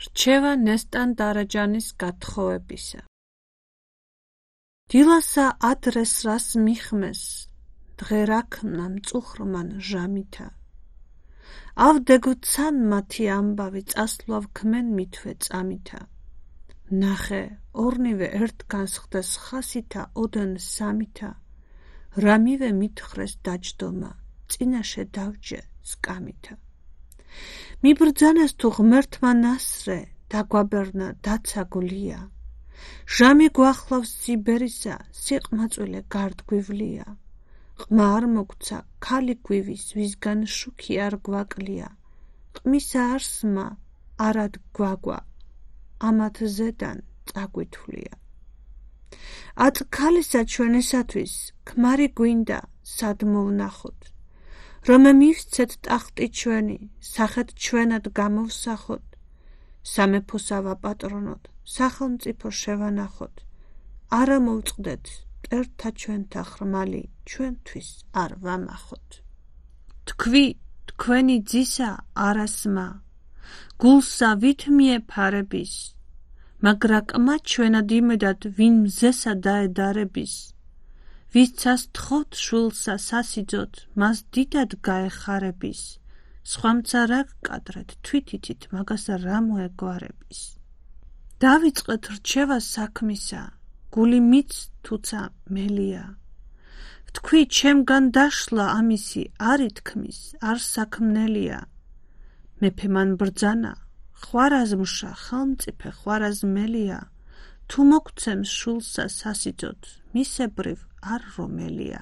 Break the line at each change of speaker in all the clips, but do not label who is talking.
რჩევა ნესტან დარაჯანის გათხოვებისა. დილასა ადრეს რას მიხმეს, დღე რაქმნა მწუხრმან ჟამითა. ავდეგოცან მათი ამბავი წასვლავ ქმენ მითვე წამითა. ნახე, ორნივე ერთგანს ხდეს ხასითა ოდენ სამითა. რამივე მითხრეს დაჯდომა, წინაშე დავჯე სკამითა. მიბრძანეს თუ ღმერთმა ნასრე, დაგვაბერნა დაცა გვლია. ჟამი გვახლავს სიბერისა, სიყმაწვილე გარდგვივლია. ყმა არ მოგცა, ქალი გვივის, ვისგან შუქი არ გვაკლია. ყმისა არსმა, არად გვაგვა, ამათ ზედან წაგვითვლია. აწ ქალისა ჩვენისათვის, ქმარი გვინდა, სად მოვნახოთ. რომ მივსცეთ ტახტი ჩვენი, სახეთ ჩვენად გამოვსახოთ. სამეფოსა ვაპატრონოთ, სახელმწიფო შევანახოთ. არა მოვწყდეთ, მტერთა ჩვენთა ხრმალი, ჩვენთვის არ ვამახოთ. თქვი, თქვენი ძისა არასმა, გულსა ვით მიეფარების, მაგრა ყმა ჩვენად იმედად ვინ მზესა დაედარების. ვისცას თხოვთ შვილსა სასიძოთ, მას დიდად გაეხარების. სხვამცა რა გკადრეთ, თვითითით მაგას რა მოეგვარების. დავიწყეთ რჩევა საქმისა, გული მიც თუცა მელია. ვთქვი, ჩემგან დაშლა ამისი, არ ითქმის, არ საქმნელია. მეფე მან ბრძანა, ხვარაზმშა, ხელმწიფე ხვარაზმელია. თუ მოგცემს შვილსა სასიძოთ, მისებრივ არ რომელია.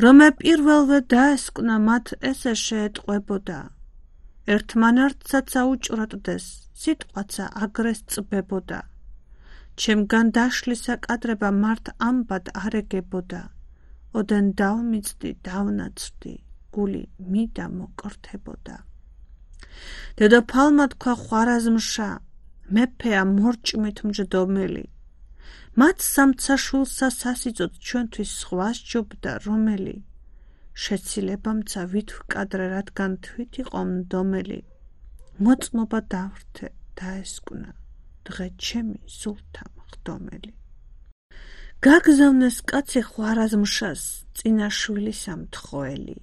რომე პირველვე დაესკვნა მათ ესე შეეტყვებოდა. ერთმანართსაც აუჭრატდეს, სიტყვაცა აგრეს წბებოდა. ჩემგან დაშლისა კადრება მართ ამბად არ ეგებოდა. ოდენ დავმიწდი, დავნაცვდი, გული მიდა მოკრთებოდა. დედოფალმა თქვა ხვარაზმშა, მეფეა მორჭმით მჯდომელი. მათ სამცა შვილსა სასიძოთ ჩვენთვის სხვა სჯობდა რომელი. შეცილებამცა ვით ვკადრე, რადგან თვით იყო მდომელი. მოწმობა დავრთე, დაესკვნა, დღე ჩემი სულთა მხდომელი. გაგზავნეს კაცი ხვარაზმშას, წინა შვილისა მთხოველი.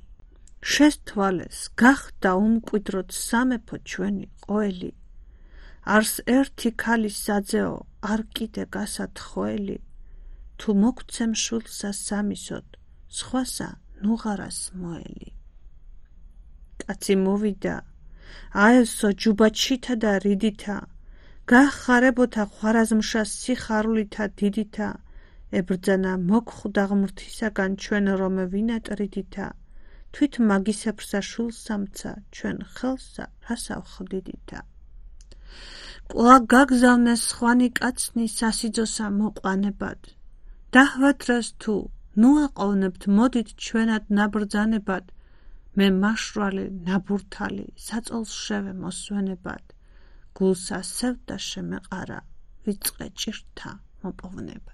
შესთვალეს, გახდა უმკვიდროდ სამეფო ჩვენი ყოველი. არს ერთი ქალი საძეო, არ კიდე გასათხოველი. თუ მოგცემ შვილსა სამისოთ, სხვასა ნუღარას მოელი. კაცი მოვიდა, აევსო ჯუბაჩითა და რიდითა. გახარებოთა ხვარაზმშას სიხარულითა დიდითა. ებრძანა მოგხვდა ღმრთისაგან ჩვენ რომე ვინატრიდითა. თვით მაგისებრსა შვილსამცა, ჩვენ ხელსა რასა ვხდიდითა. კვლავ გაგზავნეს სხვანი კაცნი სასიძოსა მოყვანებად. დაჰვათრეს თუ, ნუ აყოვნებთ, მოდით ჩვენად ნაბრძანებად. მე მაშვრალი, ნაბურთალი, საწოლს შევე მოსვენებად. გულსა სევდა შემეყარა, ვიწყე ჭირთა მოპოვნებად.